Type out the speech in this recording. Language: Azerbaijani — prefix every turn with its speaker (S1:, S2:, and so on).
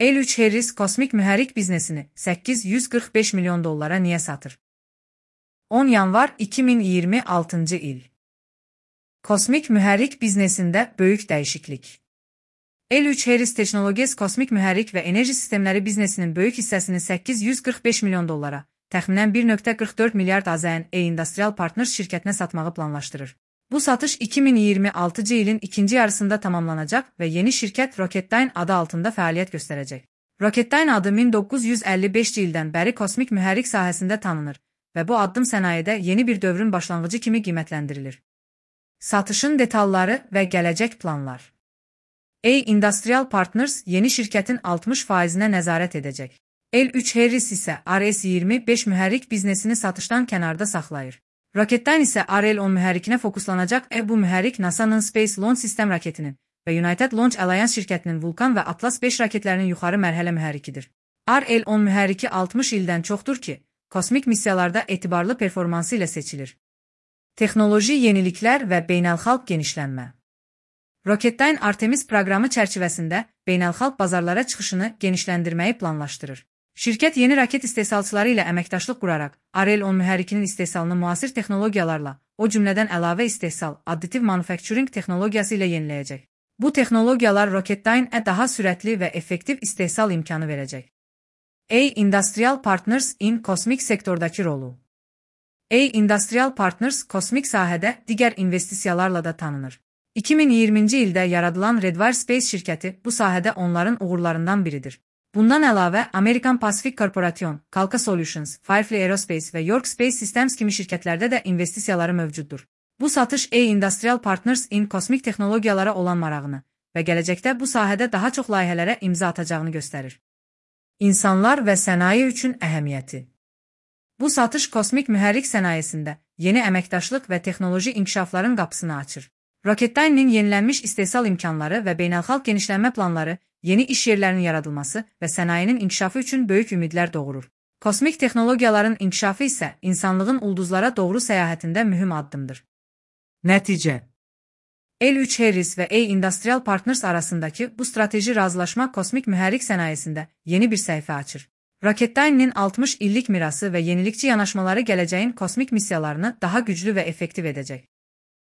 S1: L3 Harris kosmik mühərrik biznesini $845 milyon niyə satır? 10 yanvar 2026 il. Kosmik mühərrik biznesində böyük dəyişiklik. L3 Harris Technologies kosmik mühərrik və enerji sistemləri biznesinin böyük hissəsini $845 milyon, təxminən 1,44 milyard AZN Industrial Partners şirkətinə satmağı planlaşdırır. Bu satış 2026 ilin ikinci yarısında tamamlanacaq və yeni şirkət Rocketdyne adı altında fəaliyyət göstərəcək. Rocketdyne adı 1955 ildən bəri kosmik mühərrik sahəsində tanınır və bu addım sənayedə yeni bir dövrün başlanğıcı kimi qiymətləndirilir. Satışın detalları və gələcək planlar. Industrial Partners yeni şirkətin 60%-nə nəzarət edəcək. L3 Harris isə RS-25 mühərrik biznesini satışdan kənarda saxlayır. Rocketdyne isə RL-10 mühərrikinə fokuslanacaq. Bu mühərrik NASA-nın Space Launch System raketinin və United Launch Alliance şirkətinin Vulcan və Atlas 5 raketlərinin yuxarı mərhələ mühərrikidir. RL-10 mühərriki 60 ildən çoxdur ki, kosmik missiyalarda etibarlı performansı ilə seçilir. Texnoloji yeniliklər və beynəlxalq genişlənmə. Rocketdyne Artemis proqramı çərçivəsində beynəlxalq bazarlara çıxışını genişləndirməyi planlaşdırır. Şirkət yeni raket istehsalçıları ilə əməkdaşlıq quraraq RL-10 mühərrikinin istehsalını müasir texnologiyalarla, o cümlədən əlavə istehsal, additive manufacturing texnologiyası ilə yeniləyəcək. Bu texnologiyalar Rocketdyne-ə daha sürətli və effektiv istehsal imkanı verəcək. Industrial Partners in kosmik sektordakı rolu. Industrial Partners kosmik sahədə digər investisiyalarla da tanınır. 2020-ci ildə yaradılan Redwire Space şirkəti bu sahədə onların uğurlarından biridir. Bundan əlavə, American Pacific Corporation, Kalka Solutions, Firefly Aerospace və York Space Systems kimi şirkətlərdə də investisiyaları mövcuddur. Bu satış Industrial Partners in kosmik texnologiyalara olan marağını və gələcəkdə bu sahədə daha çox layihələrə imza atacağını göstərir. İnsanlar və sənaye üçün əhəmiyyəti. Bu satış kosmik mühərrik sənayesində yeni əməkdaşlıq və texnoloji inkişafların qapısını açır. Rocketdyne-nin yenilənmiş istehsal imkanları və beynəlxalq genişlənmə planları yeni iş yerlərinin yaradılması və sənayenin inkişafı üçün böyük ümidlər doğurur. Kosmik texnologiyaların inkişafı isə insanlığın ulduzlara doğru səyahətində mühüm addımdır. Nəticə. L3 Harris və Industrial Partners arasındakı bu strateji razılaşma kosmik mühərrik sənayesində yeni bir səhifə açır. Rocketdyne-nin 60 illik mirası və yenilikçi yanaşmaları gələcəyin kosmik missiyalarını daha güclü və effektiv edəcək.